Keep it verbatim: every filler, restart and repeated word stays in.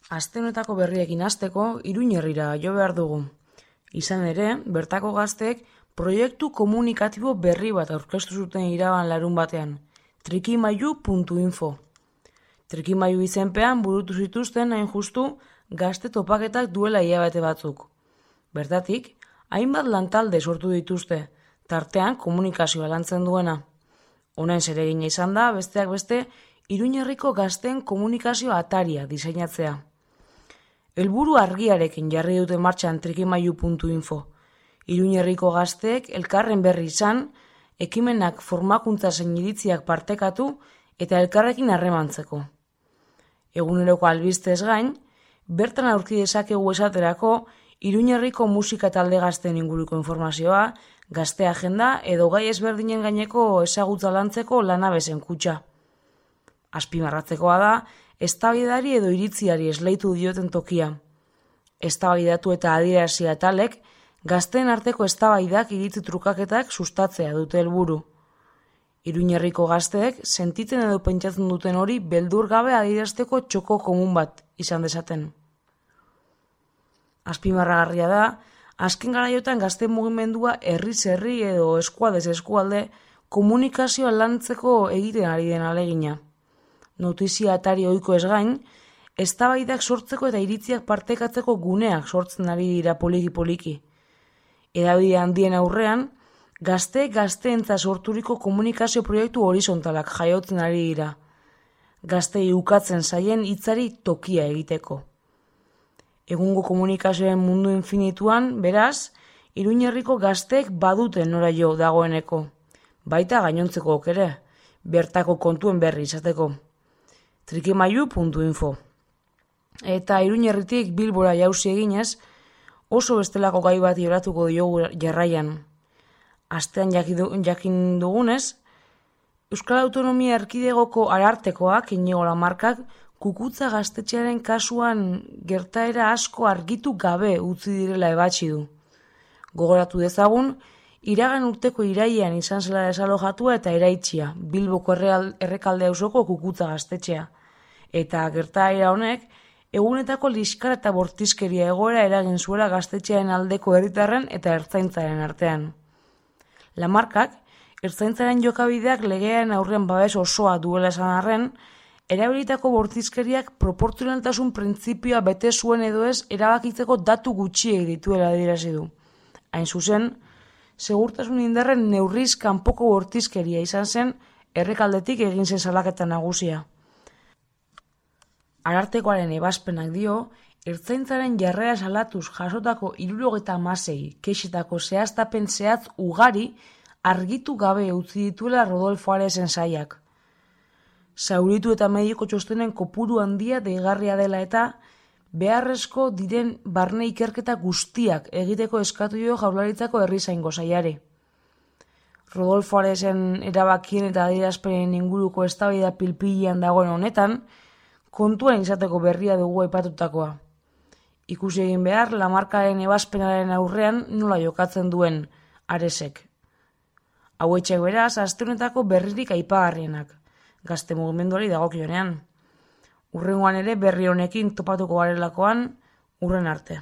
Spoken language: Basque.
Aste honetako berriekin hasteko Iruñerrira jo behar dugu. Izan ere, bertako gazteek proiektu komunikatibo berri bat aurkeztu zuten iraban larun batean, trikimailu puntu info. Trikimailu izenpean burutu zituzten hain justu gazte topaketak duela hilabete batzuk. Bertatik, hainbat lantalde sortu dituzte, tartean komunikazioa lantzen duena. Honen zeregina izan da, besteak beste, Iruñerriko gazteen komunikazio ataria diseinatzea. Helburu argiarekin jarri dute martxan trikimailu puntu info. Iruñerriko gazteek elkarren berri izan, ekimenak formakuntza zein iritziak partekatu eta elkarrekin harremantzeko. Eguneroko albistez gain, bertan aurki dezakegu esaterako Iruñerriko musika talde gazteen inguruko informazioa, gazte agenda edo gai ezberdinen gaineko ezagutza lantzeko lanabezen kutxa. Azpimarratzekoa da, eztabaidari edo iritziari esleitu dioten tokia. Eztabaidatu eta adierazi atalek, gazteen arteko eztabaidak iritzi trukaketak sustatzea dute helburu. Iruñerriko gazteek sentitzen edo pentsatzen duten hori beldur gabe adierazteko txoko komun bat izan dezaten. Azpimarragarria da, azken garaiotan gazte mugimendua herriz herri edo eskualdez eskualde komunikazioa lantzeko egiten ari den alegina. Notizia atari ohiko ez gain, eztabaidak sortzeko eta iritziak partekatzeko guneak sortzen ari dira poliki-poliki. Hedabide handien aurrean, gazte gazteentza sorturiko komunikazio proiektu horizontalak jaiotzen ari dira. Gaztei ukatzen zaien hitzari tokia egiteko. Egungo komunikazioen mundu infinituan, beraz, Iruñerriko gazteek baduten nora jo dagoeneko. Baita gainontzeko ere, bertako kontuen berri izateko. trikimailu puntu info. Eta Iruñerritik Bilbora jauzi eginez, oso bestelako gai bat joratuko diogu jarraian. Astean jakin dugunez, Euskal Autonomia Erkidegoko Arartekoak, Inigo Lamarkak, kukutza gaztetxearen kasuan gertaera asko argitu gabe utzi direla ebatzi du. Gogoratu dezagun, iragan urteko irailean izan zela desalojatua eta eraitsia, Bilboko errekalde auzoko kukutza gaztetxea. Eta gertaera honek, egunetako liskar eta bortizkeria egoera eragin zuela gaztetxearen aldeko herritarren eta ertzaintzaren artean. Lamarkak, ertzaintzaren jokabideak legearen aurrean babes osoa duela esan arren, erabilitako bortizkeriak proportzionaltasun printzipioa bete zuen edo ez erabakitzeko datu gutxiek dituela adierazi du. Hain zuzen, segurtasun indarren neurriz kanpoko bortizkeria izan zen errekaldetik egin zen salaketa nagusia. Arartekoaren ebazpenak dio, ertzaintzaren jarrera salatuz jasotako hirurogeita hamasei kexetako zehaztapen zehatz ugari argitu gabe utzi dituela Rodolfo Aresen saiak. Zauritu eta mediko txostenen kopuru handia deigarria dela eta beharrezko diren barne ikerketa guztiak egiteko eskatu dio Jaurlaritzako herrizaingo saiari. Rodolfo Aresen erabakien eta adierazpenen inguruko eztabaida pilpilean dagoen honetan, kontuan izateko berria dugu aipatutakoa. Ikusi egin behar Lamarkaren ebazpenaren aurrean nola jokatzen duen Aresek. Hauetxek beraz, aste honetako berririk aipagarrienak, gazte mugimenduari dagokionean. Hurrengoan ere berri honekin topatuko garelakoan, hurren arte.